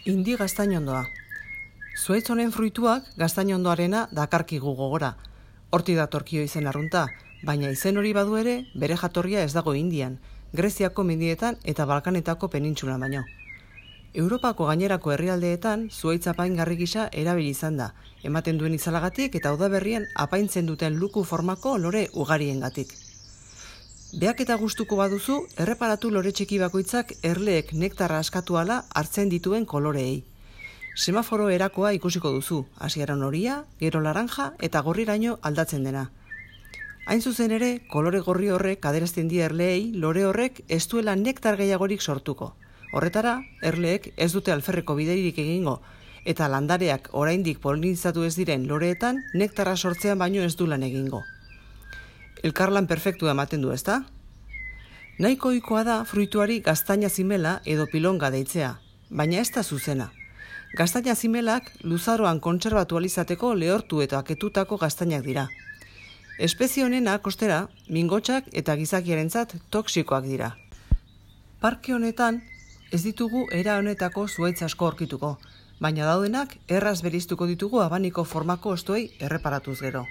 Indi gaztainondoa. Zuhaitz honen fruituak gaztainondoarena dakarkigu gogora. Hortik datorkio izen arrunta, baina izen hori badu ere bere jatorria ez dago Indian, Greziako mendietan eta Balkanetako penintsulan baino. Europako gainerako herrialdeetan zuhaitz apaingarri gisa erabili izan da, ematen duen izalagatik eta udaberrien apaintzen duten luku formako lore ugariengatik. Beak eta gustuko baduzu, erreparatu lore txiki bakoitzak erleek nektarra askatu ala hartzen dituen koloreei. Semaforo erakoa ikusiko duzu, hasieran horia, gero laranja eta gorriraino aldatzen dena. Hain zuzen ere, kolore gorri horrek adierazten die erleei lore horrek ez duela nektar gehiagorik sortuko. Horretara, erleek ez dute alferreko bideirik egingo, eta landareak oraindik polinizatu ez diren loreetan nektarra sortzean baino ez du lan egingo. Elkarlan perfektua ematen du, ezta? Nahiko ohikoa da fruituari gaztaina zimela edo pilonga deitzea, baina ez da zuzena. Gaztaina zimelak luzaroan kontserbatu alizateko lehortu eta aketutako gaztainak dira. Espezie honenak, ostera, mingotsak eta gizakiarentzat toxikoak dira. Parke honetan ez ditugu era honetako zuhaitz asko aurkituko, baina daudenak erraz bereiztuko ditugu abaniko formako hostoei erreparatuz gero.